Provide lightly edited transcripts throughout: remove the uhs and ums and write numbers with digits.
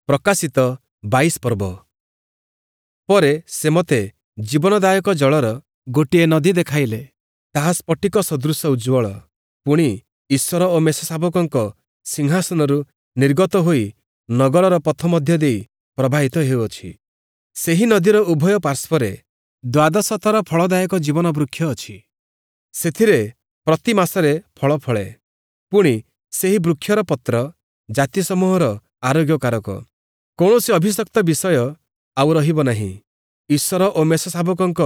ପ୍ରକାଶିତ 22 ପର୍ବ। ପରେ ସେ ମୋତେ ଜୀବନଦାୟକ ଜଳର ଗୋଟିଏ ନଦୀ ଦେଖାଇଲେ। ତାହା ସ୍ଫଟିକ ସଦୃଶ ଉଜ୍ଜ୍ୱଳ, ପୁଣି ଈଶ୍ୱର ଓ ମେଷଶାବକଙ୍କ ସିଂହାସନରୁ ନିର୍ଗତ ହୋଇ ନଗରର ପଥ ମଧ୍ୟ ଦେଇ ପ୍ରବାହିତ ହେଉଅଛି। ସେହି ନଦୀର ଉଭୟ ପାର୍ଶ୍ୱରେ ଦ୍ୱାଦଶଥର ଫଳଦାୟକ ଜୀବନ ବୃକ୍ଷ ଅଛି। ସେଥିରେ ପ୍ରତି ମାସରେ ଫଳ ଫଳେ। ପୁଣି ସେହି ବୃକ୍ଷର ପତ୍ର ଜାତିସମୂହର ଆରୋଗ୍ୟକାରକ। କୌଣସି ଅଭିଶପ୍ତ ବିଷୟ ଆଉ ରହିବ ନାହିଁ। ଈଶ୍ୱର ଓ ମେଷଶାବକଙ୍କ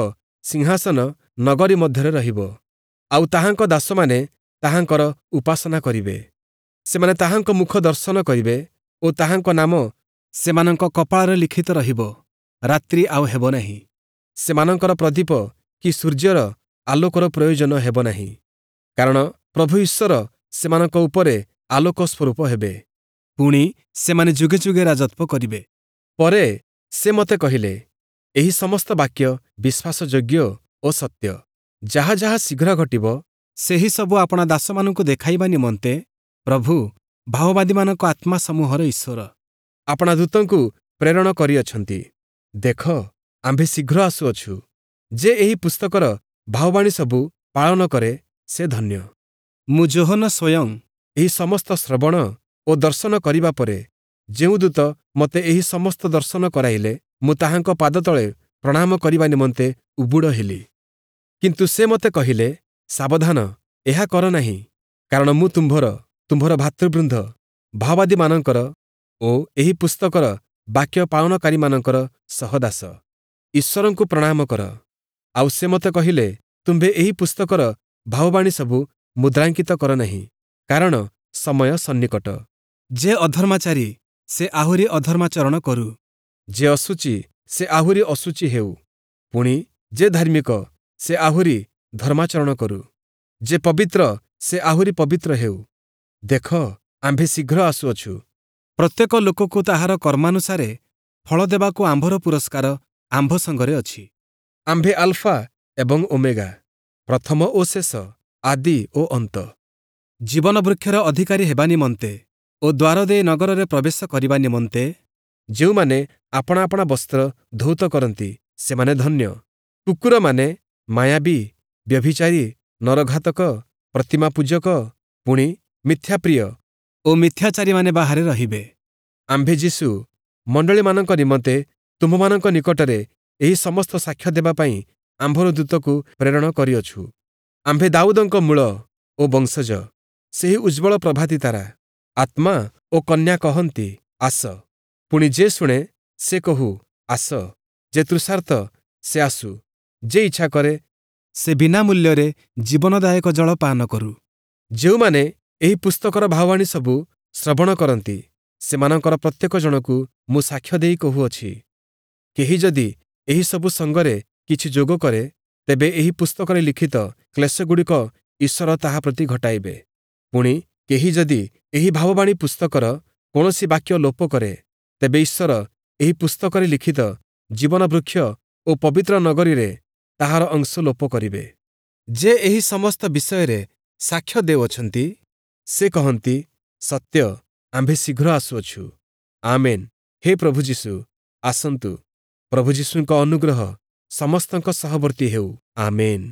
ସିଂହାସନ ନଗରୀ ମଧ୍ୟରେ ରହିବ, ଆଉ ତାହାଙ୍କ ଦାସମାନେ ତାହାଙ୍କର ଉପାସନା କରିବେ। ସେମାନେ ତାହାଙ୍କ ମୁଖ ଦର୍ଶନ କରିବେ ଓ ତାହାଙ୍କ ନାମ ସେମାନଙ୍କ କପାଳରେ ଲିଖିତ ରହିବ। ରାତ୍ରି ଆଉ ହେବ ନାହିଁ। ସେମାନଙ୍କର ପ୍ରଦୀପ କି ସୂର୍ଯ୍ୟର ଆଲୋକର ପ୍ରୟୋଜନ ହେବ ନାହିଁ, କାରଣ ପ୍ରଭୁ ଈଶ୍ୱର ସେମାନଙ୍କ ଉପରେ ଆଲୋକ ସ୍ୱରୂପ ହେବେ। ପୁଣି ସେମାନେ ଯୁଗେ ଯୁଗେ ରାଜତ୍ୱ କରିବେ। ପରେ ସେ ମୋତେ କହିଲେ, ଏହି ସମସ୍ତ ବାକ୍ୟ ବିଶ୍ୱାସଯୋଗ୍ୟ ଓ ସତ୍ୟ। ଯାହା ଯାହା ଶୀଘ୍ର ଘଟିବ, ସେହି ସବୁ ଆପଣା ଦାସମାନଙ୍କୁ ଦେଖାଇବା ନିମନ୍ତେ ପ୍ରଭୁ, ଭାବବାଦୀମାନଙ୍କ ଆତ୍ମା ସମୂହର ଈଶ୍ୱର, ଆପଣା ଦୂତଙ୍କୁ ପ୍ରେରଣ କରିଅଛନ୍ତି। ଦେଖ, ଆମ୍ଭେ ଶୀଘ୍ର ଆସୁଅଛୁ। ଯେ ଏହି ପୁସ୍ତକର ଭାବବାଣୀ ସବୁ ପାଳନ କରେ, ସେ ଧନ୍ୟ। ମୁଁ ଯୋହନ ସ୍ୱୟଂ ଏହି ସମସ୍ତ ଶ୍ରବଣ ଓ ଦର୍ଶନ କରିବା ପରେ, ଯେଉଁ ଦୂତ ମୋତେ ଏହି ସମସ୍ତ ଦର୍ଶନ କରାଇଲେ, ମୁଁ ତାହାଙ୍କ ପାଦତଳେ ପ୍ରଣାମ କରିବା ନିମନ୍ତେ ଉବୁଡ଼ ହେଲି। କିନ୍ତୁ ସେ ମୋତେ କହିଲେ, ସାବଧାନ, ଏହା କର ନାହିଁ, କାରଣ ମୁଁ ତୁମ୍ଭର, ତୁମ୍ଭର ଭାତୃବୃନ୍ଦ ଭାବବାଦୀମାନଙ୍କର ଓ ଏହି ପୁସ୍ତକର ବାକ୍ୟ ପାଳନକାରୀମାନଙ୍କର ସହଦାସ। ଈଶ୍ୱରଙ୍କୁ ପ୍ରଣାମ କର। ଆଉ ସେ ମୋତେ କହିଲେ, ତୁମ୍ଭେ ଏହି ପୁସ୍ତକର ଭାବବାଣୀ ସବୁ ମୁଦ୍ରାଙ୍କିତ କର ନାହିଁ, କାରଣ ସମୟ ସନ୍ନିକଟ। ଯେ ଅଧର୍ମାଚାରୀ, ସେ ଆହୁରି ଅଧର୍ମାଚରଣ କରୁ। ଯେ ଅଶୁଚି, ସେ ଆହୁରି ଅଶୁଚି ହେଉ। ପୁଣି ଯେ ଧାର୍ମିକ, ସେ ଆହୁରି ଧର୍ମାଚରଣ କରୁ। ଯେ ପବିତ୍ର, ସେ ଆହୁରି ପବିତ୍ର ହେଉ। ଦେଖ, ଆମ୍ଭେ ଶୀଘ୍ର ଆସୁଅଛୁ। ପ୍ରତ୍ୟେକ ଲୋକକୁ ତାହାର କର୍ମାନୁସାରେ ଫଳ ଦେବାକୁ ଆମ୍ଭର ପୁରସ୍କାର ଆମ୍ଭ ସଙ୍ଗରେ ଅଛି। ଆମ୍ଭେ ଆଲଫା ଏବଂ ଓମେଗା, ପ୍ରଥମ ଓ ଶେଷ, ଆଦି ଓ ଅନ୍ତ। ଜୀବନ ବୃକ୍ଷର ଅଧିକାରୀ ହେବା ନିମନ୍ତେ ଓ ଦ୍ୱାର ଦେଇ ନଗରରେ ପ୍ରବେଶ କରିବା ନିମନ୍ତେ ଯେଉଁମାନେ ଆପଣା ଆପଣା ବସ୍ତ୍ର ଧୌତ କରନ୍ତି, ସେମାନେ ଧନ୍ୟ। କୁକୁରମାନେ, ମାୟାବୀ, ବ୍ୟଭିଚାରୀ, ନରଘାତକ, ପ୍ରତିମା ପୂଜକ, ପୁଣି ମିଥ୍ୟାପ୍ରିୟ ଓ ମିଥ୍ୟାଚାରୀମାନେ ବାହାରେ ରହିବେ। ଆମ୍ଭେ ଯୀଶୁ ମଣ୍ଡଳୀମାନଙ୍କ ନିମନ୍ତେ ତୁମ୍ଭମାନଙ୍କ ନିକଟରେ ଏହି ସମସ୍ତ ସାକ୍ଷ୍ୟ ଦେବା ପାଇଁ ଆମ୍ଭର ଦୂତକୁ ପ୍ରେରଣ କରିଅଛୁ। ଆମ୍ଭେ ଦାଉଦଙ୍କ ମୂଳ ଓ ବଂଶଜ, ସେହି ଉଜ୍ଜ୍ୱଳ ପ୍ରଭାତୀ ତାରା। ଆତ୍ମା ଓ କନ୍ୟା କହନ୍ତି, ଆସ। ପୁଣି ଯେ ଶୁଣେ, ସେ କହୁ, ଆସ। ଯେ ତୃଷାର୍ତ୍ତ, ସେ ଆସୁ। ଯେ ଇଚ୍ଛା କରେ, ସେ ବିନା ମୂଲ୍ୟରେ ଜୀବନଦାୟକ ଜଳ ପାନ କରୁ। ଯେଉଁମାନେ ଏହି ପୁସ୍ତକର ଭାବବାଣୀ ସବୁ ଶ୍ରବଣ କରନ୍ତି, ସେମାନଙ୍କର ପ୍ରତ୍ୟେକ ଜଣକୁ ମୁଁ ସାକ୍ଷ୍ୟ ଦେଇ କହୁଅଛି, କେହି ଯଦି ଏହିସବୁ ସଙ୍ଗରେ କିଛି ଯୋଗ କରେ, ତେବେ ଏହି ପୁସ୍ତକରେ ଲିଖିତ କ୍ଲେଶଗୁଡ଼ିକ ଈଶ୍ୱର ତାହା ପ୍ରତି ଘଟାଇବେ। ପୁଣି କେହି ଯଦି ଏହି ଭାବବାଣୀ ପୁସ୍ତକର କୌଣସି ବାକ୍ୟ ଲୋପ କରେ, ତେବେ ଈଶ୍ୱର ଏହି ପୁସ୍ତକରେ ଲିଖିତ ଜୀବନ ବୃକ୍ଷ ଓ ପବିତ୍ର ନଗରୀରେ ତାହାର ଅଂଶ ଲୋପ କରିବେ। ଯେ ଏହି ସମସ୍ତ ବିଷୟରେ ସାକ୍ଷ୍ୟ ଦେଉଅଛନ୍ତି, ସେ କହନ୍ତି, ସତ୍ୟ, ଆମ୍ଭେ ଶୀଘ୍ର ଆସୁଅଛୁ। ଆମେନ୍। ହେ ପ୍ରଭୁ ଯୀଶୁ, ଆସନ୍ତୁ। ପ୍ରଭୁ ଯୀଶୁଙ୍କ ଅନୁଗ୍ରହ ସମସ୍ତଙ୍କ ସହବର୍ତ୍ତୀ ହେଉ। ଆମେନ୍।